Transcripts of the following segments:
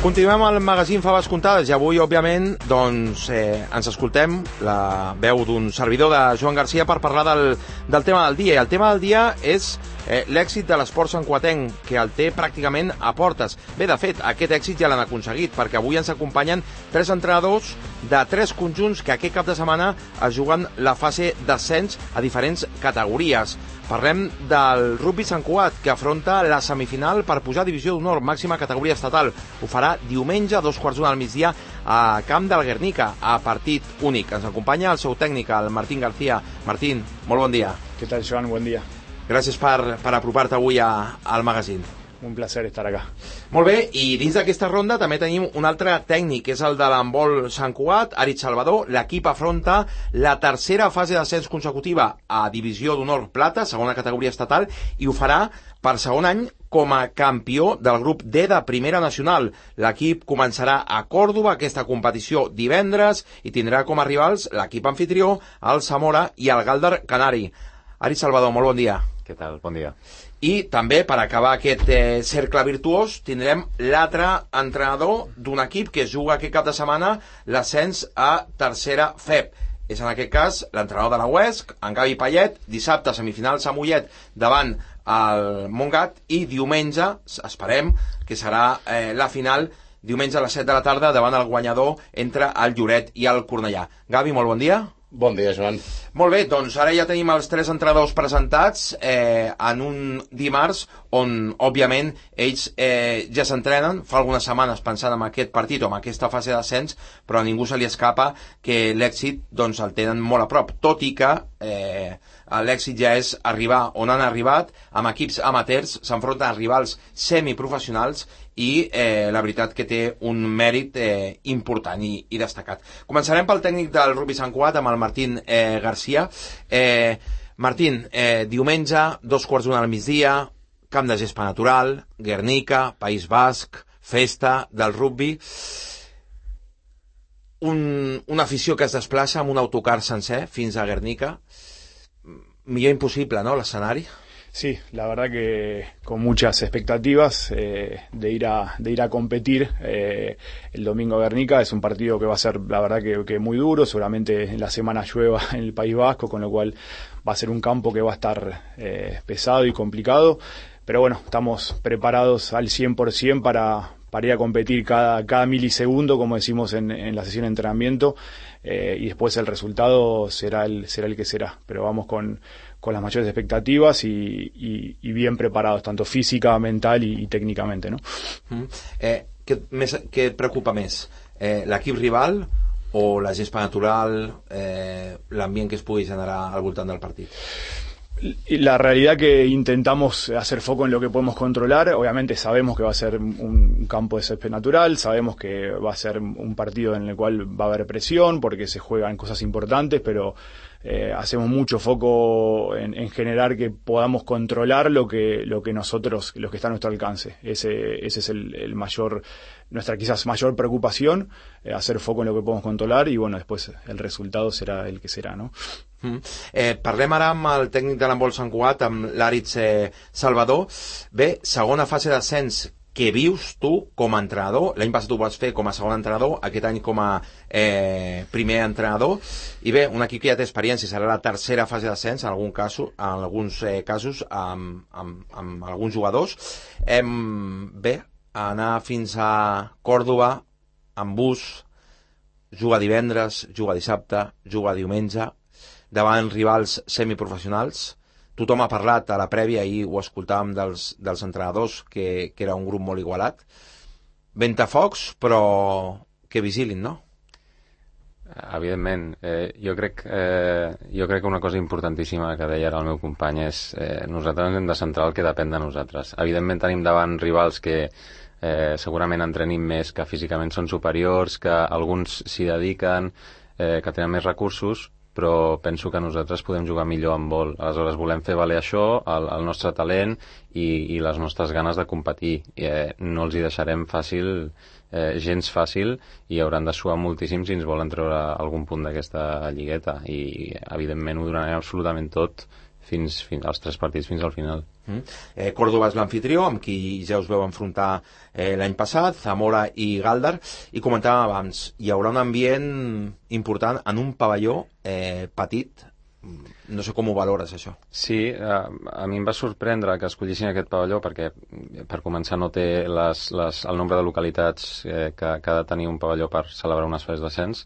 Continuem al magazín Faves Comptades i avui, òbviament, ens escoltem la veu d'un servidor de Joan Garcia per parlar del tema del dia. I el tema del dia és l'èxit de l'esport santcugatenc, que el té pràcticament a portes. Bé, de fet, aquest èxit ja l'han aconseguit, perquè avui ens acompanyen 3 entrenadors de 3 conjunts que aquest cap de setmana es juguen la fase d'ascens a diferents categories. Parlem del rugby Sant Cugat, que afronta la semifinal per pujar a divisió d'honor, màxima categoria estatal. Ho farà diumenge a 2:15 del migdia a Camp del Guernica, a partit únic. Ens acompanya el seu tècnic, el Martín García. Martín, molt bon dia. ¿Qué tal, Joan? Buen día. Gràcies per apropar-te avui al magazín. Un placer estar acá. Molt bé, i dins d'aquesta ronda també tenim un altre tècnic, que és el de l'handbol Sant Cugat, Aritz Salvador. L'equip afronta la tercera fase d'ascens consecutiva a divisió d'honor plata, segona categoria estatal, i ho farà per segon any com a campió del grup D de Primera Nacional. L'equip començarà a Còrdova aquesta competició divendres i tindrà com a rivals l'equip anfitrió, el Zamora i el Galdar Canari. Aritz Salvador, molt bon dia. Què tal? Bon dia. I també, per acabar aquest cercle virtuós, tindrem l'altre entrenador d'un equip que juga aquest cap de setmana l'ascens a tercera FEP. És en aquest cas l'entrenador de la UESC, en Gavi Payet, dissabte semifinals a Mollet davant el Montgat i diumenge, esperem que serà la final, diumenge a les 7 de la tarda davant el guanyador entre el Lloret i el Cornellà. Gavi, molt bon dia. Bon dia, Joan. Molt bé, doncs ara ja tenim els 3 entrenadors presentats en un dimarts on, òbviament, ells ja s'entrenen, fa algunes setmanes pensant en aquest partit o en aquesta fase d'ascens, però a ningú se li escapa que l'èxit doncs, el tenen molt a prop, tot i que l'èxit ja és arribar on han arribat, amb equips amateurs, s'enfronten a rivals semiprofessionals i la veritat que té un mèrit important i destacat. Començarem pel tècnic del rugby Sant Cugat, amb el Martín García. Martín, diumenge, 2:15 al migdia, camp de gespa natural, Guernica, País Basc, festa del rugby. Una afició que es desplaça amb un autocar sencer fins a Guernica. Millor imposible, ¿no?, l'escenari. Sí, la verdad que con muchas expectativas de ir a competir el domingo a Guernica. Es un partido que va a ser, la verdad, que muy duro. Seguramente en la semana llueva en el País Vasco, con lo cual va a ser un campo que va a estar pesado y complicado. Pero bueno, estamos preparados al 100% para ir a competir cada milisegundo, como decimos en la sesión de entrenamiento, y después el resultado será el que será. Pero vamos con las mayores expectativas y bien preparados, tanto física, mental y técnicamente, ¿no? Què et preocupa més? L'equip rival o la gespa natural, l'ambient que es pugui generar al voltant del partit? La realidad que intentamos hacer foco en lo que podemos controlar. Obviamente sabemos que va a ser un campo de césped natural, sabemos que va a ser un partido en el cual va a haber presión porque se juegan cosas importantes, pero hacemos mucho foco en generar que podamos controlar lo que nosotros, lo que está a nuestro alcance. Ese es nuestra quizás mayor preocupación, hacer foco en lo que podemos controlar y bueno, después el resultado será el que será, ¿no? Parlem ara amb el tècnic de l'handbol Sant Cugat, amb l'Aritz Salvador. Bé, segona fase d'ascens que vius tu com a entrenador. L'any passat ho vas fer com a segon entrenador, aquest any com a primer entrenador. I bé, un equip que ja té experiència, serà la tercera fase d'ascens en alguns casos amb alguns jugadors. Bé, anar fins a Còrdova amb bus, jugar divendres, jugar dissabte, jugar diumenge davant rivals semiprofessionals. Tothom ha parlat a la prèvia, ahir ho escoltàvem dels entrenadors, que era un grup molt igualat. Ventafocs, però que vigilin, no? Evidentment. Jo crec que una cosa importantíssima que deia ara el meu company és nosaltres hem de centrar el que depèn de nosaltres. Evidentment tenim davant rivals que segurament entrenim més, que físicament són superiors, que alguns s'hi dediquen, que tenen més recursos, però penso que nosaltres podem jugar millor amb vol. Aleshores volem fer valer això, el nostre talent i les nostres ganes de competir. No els hi deixarem gens fàcil, i hauran de suar moltíssim si ens volen treure algun punt d'aquesta lligueta, i evidentment ho donarem absolutament tot els 3 partits fins al final. Córdoba és l'anfitrió, amb qui ja us veu enfrontar l'any passat, Zamora i Galdar, i comentàvem abans, hi haurà un ambient important en un pavelló petit. No sé com ho valores, això. Sí, a mi em va sorprendre que escollissin aquest pavelló perquè, per començar, no té el nombre de localitats que ha de tenir un pavelló per celebrar unes fases d'ascens.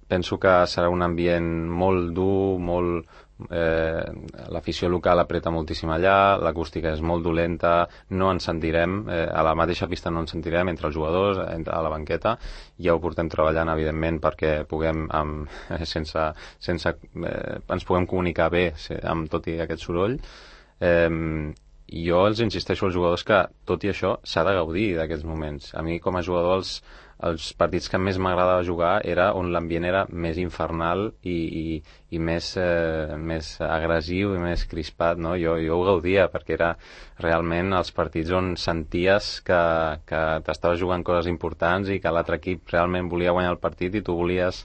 Penso que serà un ambient molt dur, l'afició local apreta moltíssim allà, l'acústica és molt dolenta, no ens sentirem, a la mateixa pista no ens sentirem entre els jugadors, a la banqueta. Ja ho portem treballant, evidentment, perquè puguem, ens puguem comunicar bé amb tot i aquest soroll. Jo els insisteixo als jugadors que, tot i això, s'ha de gaudir d'aquests moments. A mi, com a jugador, els partits que més m'agradava jugar era on l'ambient era més infernal i més agressiu i més crispat, no? Jo ho gaudia perquè era realment els partits on senties que t'estaves jugant coses importants i que l'altre equip realment volia guanyar el partit i tu volies...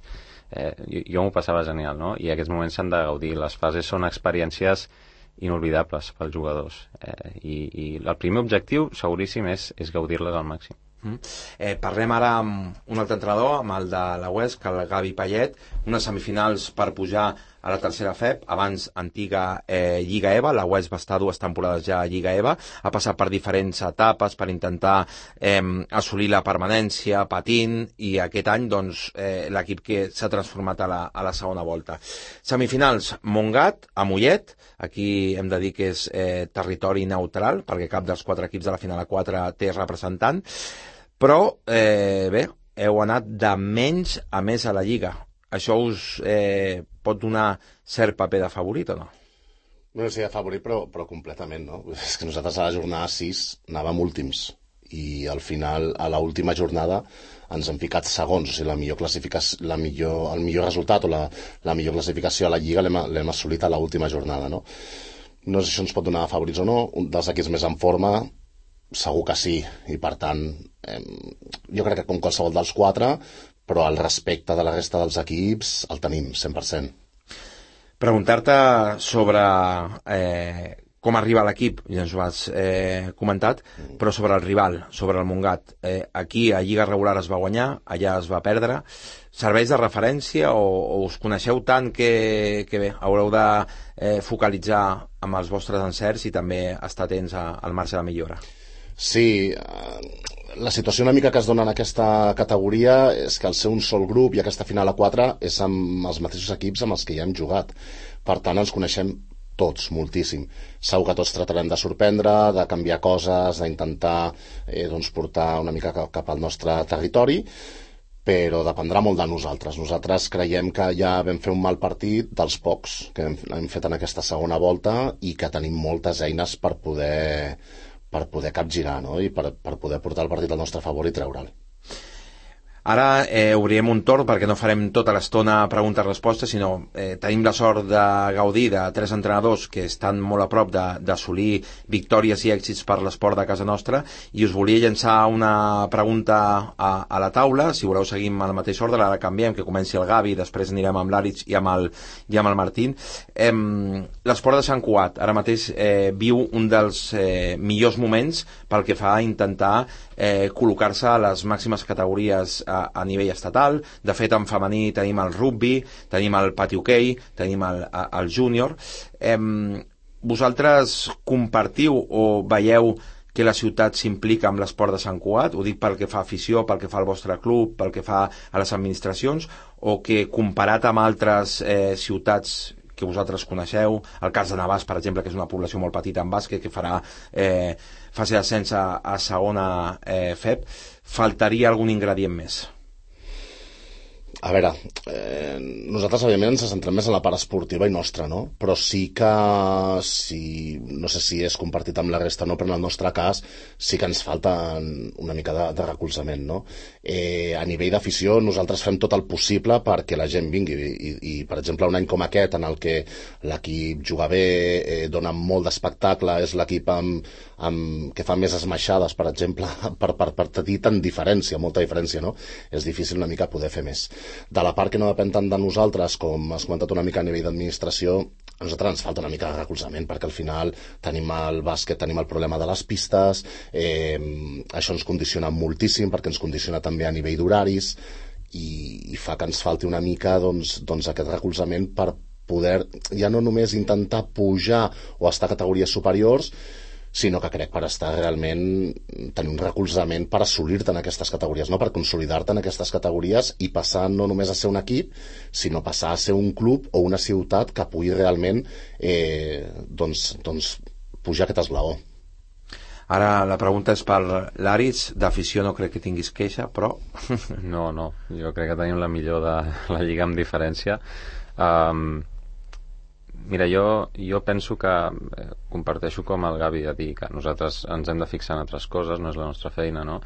Jo m'ho passava genial, no? I aquests moments s'han de gaudir. Les fases són experiències inolvidables pels jugadors. I el primer objectiu, seguríssim, és gaudir-les al màxim. Parlem ara amb un altre entrenador, amb el de la Huesc, el Gavi Payet, unes semifinals per pujar a la tercera FEP, abans antiga Lliga EVA. La Huesc va estar 2 temporades ja a Lliga EVA, ha passat per diferents etapes per intentar assolir la permanència, patint, i aquest any doncs, l'equip que s'ha transformat a la segona volta. Semifinals, Montgat, a Mollet, aquí hem de dir que és territori neutral, perquè cap dels 4 equips de la final a 4 té representant, però bé, heu anat de menys a més a la Lliga. Això us pot donar cert paper de favorit o no? No sé, de favorit, però completament, no? És que nosaltres a la jornada 6 anàvem últims i al final, a l'última jornada, ens hem ficat segons. O sigui, el millor resultat o la millor classificació a la Lliga l'hem assolit a l'última jornada, no? No sé si això ens pot donar favorits o no. Un dels equips més en forma, segur que sí, i per tant jo crec que com qualsevol dels 4, però el respecte de la resta dels equips el tenim 100%. Preguntar-te sobre com arriba l'equip, ja ens ho has comentat, però sobre el rival, sobre el Montgat. Aquí a Lliga regular es va guanyar, allà es va perdre. Serveix de referència o us coneixeu tant que bé, haureu de focalitzar amb els vostres encerts i també estar atents al marge de millora? Sí, la situació una mica que es dona en aquesta categoria és que al ser un sol grup i aquesta final a 4 és amb els mateixos equips amb els que ja hem jugat. Per tant, ens coneixem tots, moltíssim. Segur que tots tratarem de sorprendre, de canviar coses, d'intentar portar una mica cap al nostre territori, però dependrà molt de nosaltres. Nosaltres creiem que ja vam fer un mal partit dels pocs que hem fet en aquesta segona volta i que tenim moltes eines per poder capgirar, no? I per poder portar el partit al nostre favor i treure'l. Ara obrirem un torn perquè no farem tota l'estona preguntes-respostes, sinó tenim la sort de gaudir de 3 entrenadors que estan molt a prop d'assolir victòries i èxits per l'esport de casa nostra, i us volia llançar una pregunta a la taula. Si voleu seguim en el mateix ordre, ara canviem, que comenci el Gavi, després anirem amb l'Àritz i amb el Martín. L'esport de Sant Cugat ara mateix viu un dels millors moments pel que fa a intentar col·locar-se a les màximes categories a nivell estatal. De fet, en femení tenim el rugby, tenim el pati hoquei, tenim el júnior. Vosaltres compartiu o veieu que la ciutat s'implica amb l'esport de Sant Cugat? Ho dic pel que fa a afició, pel que fa al vostre club, pel que fa a les administracions, o que comparat amb altres ciutats que vosaltres coneixeu, el cas de Navàs, per exemple, que és una població molt petita en bàsquet, que farà fase d'ascens a segona FEP, faltaria algun ingredient més? A veure, nosaltres evidentment ens centrem més en la part esportiva i nostra, no? Però sí que, no sé si és compartit amb la resta o no, però en el nostre cas sí que ens falta una mica de recolzament, no? A nivell d'afició nosaltres fem tot el possible perquè la gent vingui i per exemple, un any com aquest en el que l'equip juga bé, dona molt d'espectacle, és l'equip que fa més esmaixades, per exemple, per tenir tant diferència, molta diferència, no? És difícil una mica poder fer més. De la part que no depèn tant de nosaltres, com has comentat una mica a nivell d'administració, a nosaltres ens falta una mica de recolzament, perquè al final tenim el bàsquet, tenim el problema de les pistes, això ens condiciona moltíssim, perquè ens condiciona també a nivell d'horaris, i fa que ens falti una mica doncs aquest recolzament per poder ja no només intentar pujar o estar a categories superiors, sinó que crec per estar realment tenir un recolzament per assolir-te en aquestes categories, no? Per consolidar-te en aquestes categories i passar no només a ser un equip, sinó passar a ser un club o una ciutat que pugui realment doncs pujar aquest esglaó. Ara la pregunta és per l'Aritz. D'afició no crec que tinguis queixa, però... No, jo crec que tenim la millor de la Lliga amb diferència. Mira, jo penso que comparteixo com el Gavi de dir que nosaltres ens hem de fixar en altres coses, no és la nostra feina, no?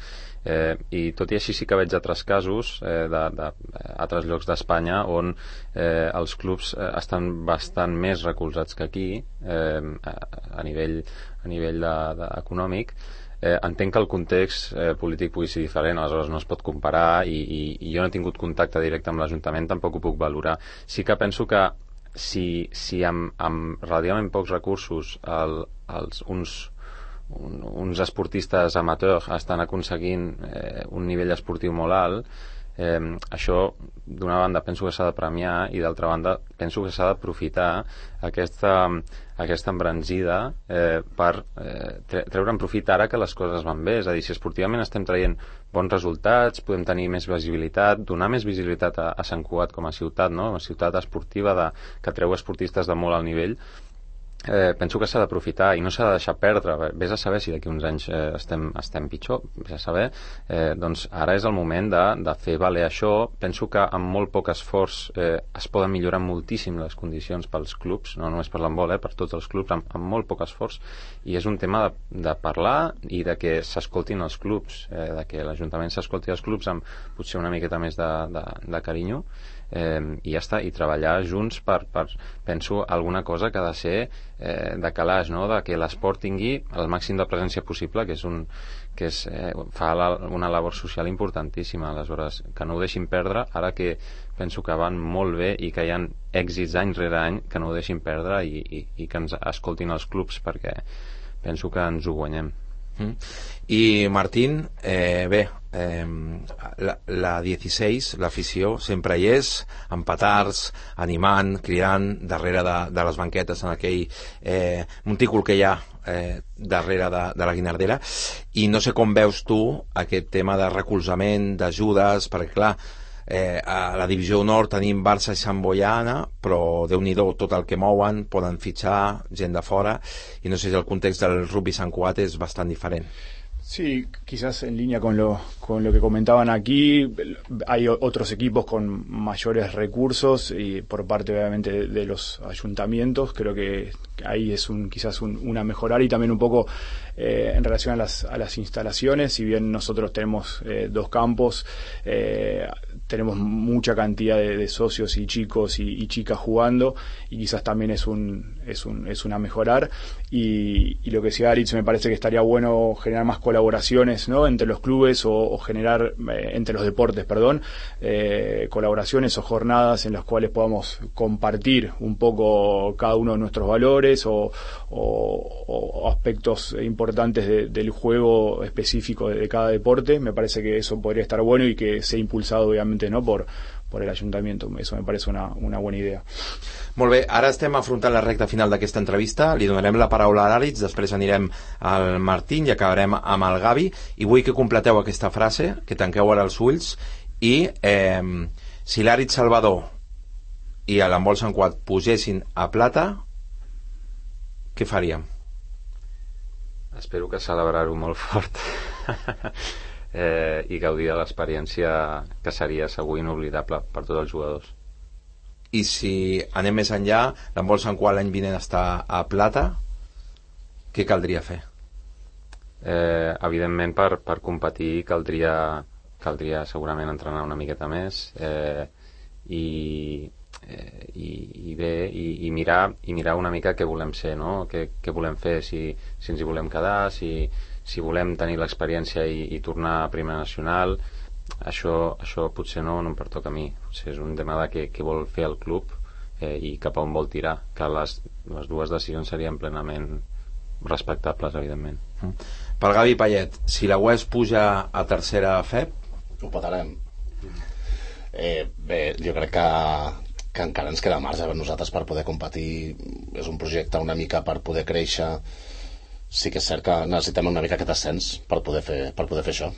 I tot i així sí que veig altres casos d'altres llocs d'Espanya on els clubs estan bastant més recolzats que aquí a nivell econòmic. Entenc que el context polític pugui ser diferent, aleshores no es pot comparar, i jo no he tingut contacte directe amb l'Ajuntament, tampoc ho puc valorar. Sí que penso que si amb relativament pocs recursos uns esportistes amateurs estan aconseguint un nivell esportiu molt alt, això d'una banda penso que s'ha de premiar, i d'altra banda penso que s'ha d'aprofitar aquesta embranzida per treure en profit ara que les coses van bé. És a dir, si esportivament estem traient bons resultats, podem tenir més visibilitat, donar més visibilitat a Sant Cugat com a ciutat, no? Una ciutat esportiva que treu esportistes de molt alt nivell. Penso que s'ha d'aprofitar i no s'ha de deixar perdre. Vés a saber si d'aquí uns anys estem pitjor, vés a saber. Doncs ara és el moment de fer valer això. Penso que amb molt poc esforç es poden millorar moltíssim les condicions pels clubs, no només per l'handbol, per tots els clubs, amb molt poc esforç, i és un tema de parlar i de que s'escoltin els clubs, de que l'Ajuntament s'escolti els clubs amb potser una miqueta més de carinyo, i ja està, i treballar junts per penso alguna cosa que ha de ser de calaix, no? De que l'esport tingui el màxim de presència possible, fa una labor social importantíssima. Aleshores, que no ho deixin perdre, ara que penso que van molt bé i que hi ha èxits any rere any, que no ho deixin perdre i que ens escoltin els clubs, perquè penso que ens ho guanyem. I Martín, bé, la 16, l'afició sempre hi és, amb petards, animant, cridant darrere de les banquetes, en aquell montícul que hi ha darrere de la Guinardera. I no sé com veus tu aquest tema de recolzament, d'ajudes, perquè clar, a la divisió nord tenim Barça i Sant Boiana, però Déu-n'hi-do tot el que mouen, poden fitxar gent de fora, i no sé si el context del rugby Sant Cugat és bastant diferent. Sí, quizás en línea con lo que comentaban aquí, hay otros equipos con mayores recursos y por parte obviamente de los ayuntamientos. Creo que ahí es quizás una mejorar, y también un poco en relación a las instalaciones. Si bien nosotros tenemos 2 campos, tenemos mucha cantidad de socios y chicos y chicas jugando, y quizás también es una mejorar. Y lo que decía Aritz, me parece que estaría bueno generar más colaboraciones, ¿no? Entre los clubes, o generar entre los deportes, colaboraciones o jornadas en las cuales podamos compartir un poco cada uno de nuestros valores o aspectos importantes del juego específico de cada deporte. Me parece que eso podría estar bueno y que sea impulsado obviamente, ¿no?, por el Ayuntamiento. Eso me parece una buena idea. Molt bé, ara estem afrontant la recta final d'aquesta entrevista. Li donarem la paraula a l'Aritz, després anirem al Martín i acabarem amb el Gavi, i vull que completeu aquesta frase, que tanqueu ara els ulls, i si l'Aritz Salvador i l'handbol Sant Cugat pugessin a plata, què faríem? Espero que celebrar-ho molt fort i gaudir de l'experiència, que seria segur inoblidable per tots els jugadors. I si anem més enllà, l'handbol Sant Cugat l'any vinent està a plata, què caldria fer? Evidentment, per competir caldria segurament entrenar una miqueta més, i mirar una mica què volem ser, no? Què volem fer, si ens hi volem quedar, si volem tenir l'experiència i tornar a Primera Nacional. Això potser no em pertoca a mi, potser és un tema de què vol fer el club, i cap a on vol tirar, que les dues decisions serien plenament respectables, evidentment. Pel Gavi Payet, si la UES puja a tercera FEP, ho patarem. Bé, jo crec que encara ens queda marge per nosaltres per poder competir. És un projecte una mica per poder créixer. Sí que és cert que necessitem una mica aquest ascens per poder fer això.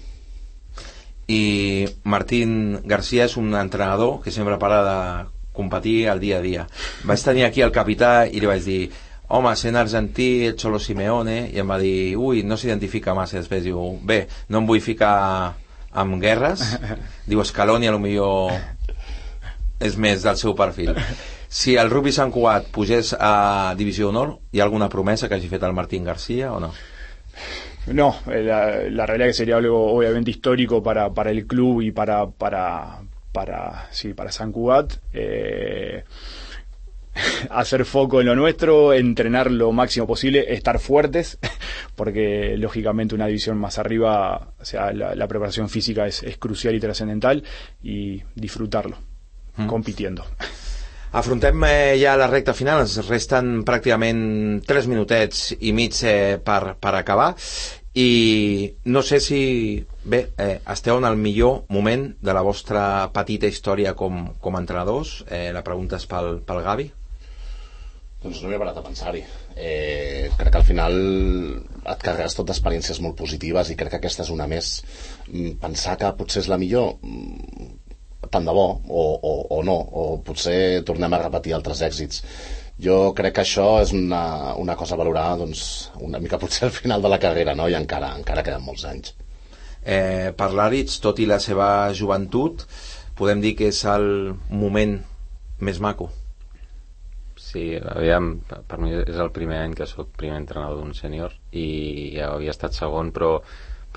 I Martín García és un entrenador que sempre parla de competir al dia a dia. Vaig tenir aquí el capità i li vaig dir: home, sent argentí, el Cholo Simeone, i em va dir: ui, no s'identifica massa. Després diu: bé, no em vull ficar amb guerres. Diu: Scaloni a lo millor és més del seu perfil. Si el Rugby Sant Cugat pugés a Divisió d'Honor, ¿hi ha alguna promesa que hagi fet el Martín García o no? No, la realidad que sería algo obviamente histórico para el club y para San Cugat. Hacer foco en lo nuestro, entrenar lo máximo posible, estar fuertes, porque lógicamente una división más arriba, o sea, la preparación física es crucial y trascendental, y disfrutarlo, compitiendo. Afrontem ja la recta final, ens resten pràcticament 3 minutets i mig per acabar, i no sé si esteu en el millor moment de la vostra petita història com a entrenadors. La pregunta és pel Gavi. Doncs no m'he parat a pensar-hi. Crec que al final et carregues tot d'experiències molt positives i crec que aquesta és una més. Pensar que potser és la millor, tant de bo, o no, o potser tornem a repetir altres èxits. Jo crec que això és una cosa a valorar, doncs, una mica potser al final de la carrera, no? I encara queden molts anys. Per l'Aritz, tot i la seva joventut, podem dir que és el moment més maco. Sí, aviam, per mi és el primer any que soc primer entrenador d'un sènior i ja havia estat segon, però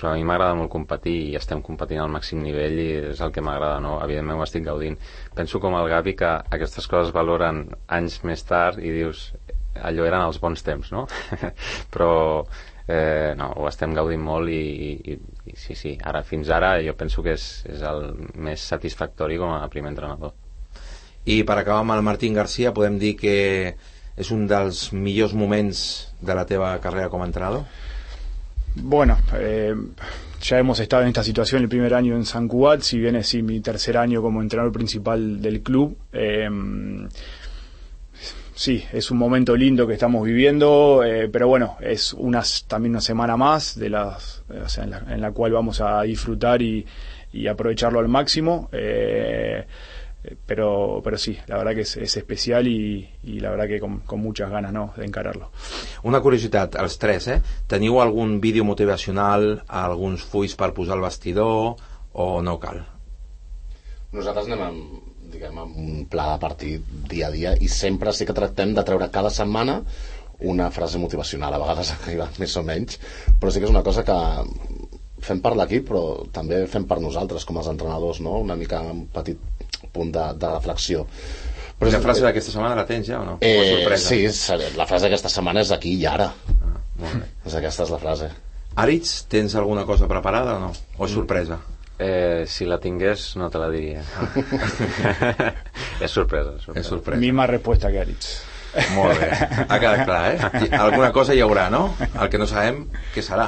a mi m'agrada molt competir i estem competint al màxim nivell i és el que m'agrada, no? Evidentment ho estic gaudint. Penso com el Gavi que aquestes coses valoren anys més tard i dius, allò eren els bons temps, no? Però no, ho estem gaudint molt i sí, fins ara jo penso que és el més satisfactori com a primer entrenador. I per acabar amb el Martín García, podem dir que és un dels millors moments de la teva carrera com a entrenador? Bueno, ya hemos estado en esta situación el primer año en San Cugat, si bien es mi tercer año como entrenador principal del club. Sí, es un momento lindo que estamos viviendo, pero bueno, es también una semana más en la cual vamos a disfrutar y aprovecharlo al máximo. Pero sí, la verdad que es especial y la verdad que con muchas ganas, ¿no?, de encararlo. Una curiositat, els tres, teniu algun vídeo motivacional, alguns fulls per posar al vestidor o no cal? Nosaltres anem amb un pla de partit dia a dia i sempre sí que tractem de treure cada setmana una frase motivacional, a vegades arriba més o menys, però sí que és una cosa que fem per l'equip però també fem per nosaltres com els entrenadors, no? Una mica un petit punt de reflexió. Però la frase d'aquesta setmana la tens ja o no? Sí, la frase d'aquesta setmana és aquí i ara. Molt bé. Aquesta és la frase. Aritz, tens alguna cosa preparada o no? O és sorpresa? Si la tingués no te la diria. És sorpresa. És sorpresa. Misma respuesta que Aritz. Molt bé, ha quedat clar, alguna cosa hi haurà, no? El que no sabem què serà.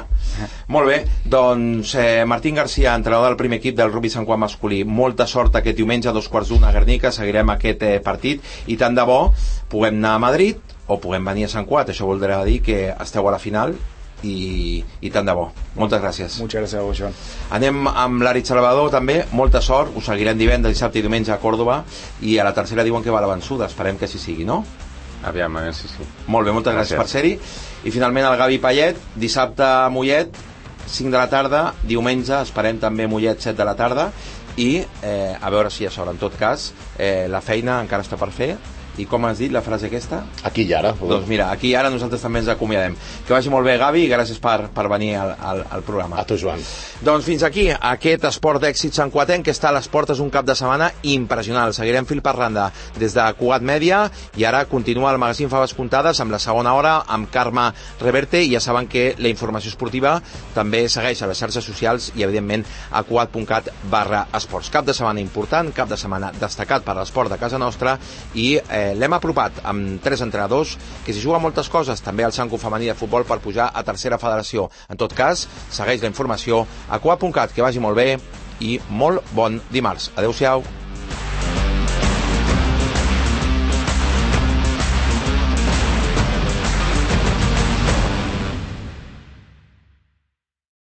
Molt bé, doncs Martín García, entrenador del primer equip del Rugby Sant Cugat masculí, molta sort aquest diumenge a 2:15 a Guernica, seguirem aquest partit i tant de bo puguem anar a Madrid o puguem venir a Sant Cugat, això voldrà dir que esteu a la final i tant de bo. Moltes gràcies. Moltes gràcies a vos, Joan. Anem amb l'Aritz Salvador també, molta sort, us seguirem divendres, dissabte i diumenge a Còrdova i a la tercera diuen que va a la vençuda, esperem que així sigui, no? Aviam, sí. Molt bé, moltes gràcies per ser-hi. I finalment el Gavi Payet, dissabte a Mollet 5 de la tarda, diumenge esperem també Mollet 7 de la tarda i a veure si això, en tot cas la feina encara està per fer. I com has dit la frase aquesta? Aquí i ara. Doncs mira, aquí i ara nosaltres també ens acomiadem. Que vagi molt bé, Gavi, i gràcies per venir al programa. A tu, Joan. Doncs fins aquí, aquest esport d'èxit santcuatenc que està a les portes un cap de setmana impressionant. Seguirem fil per randa des de Cugat Mèdia i ara continua el magazín Faves Comptades amb la segona hora amb Carme Reverte i ja saben que la informació esportiva també segueix a les xarxes socials i evidentment a cugat.cat/esports. Cap de setmana important, cap de setmana destacat per l'esport de casa nostra i l'hem apropat amb 3 entrenadors, que s'hi juga moltes coses, també al Sanco femení de futbol per pujar a tercera federació. En tot cas, segueix la informació a coa.cat, que vagi molt bé i molt bon dimarts. Adéu-siau.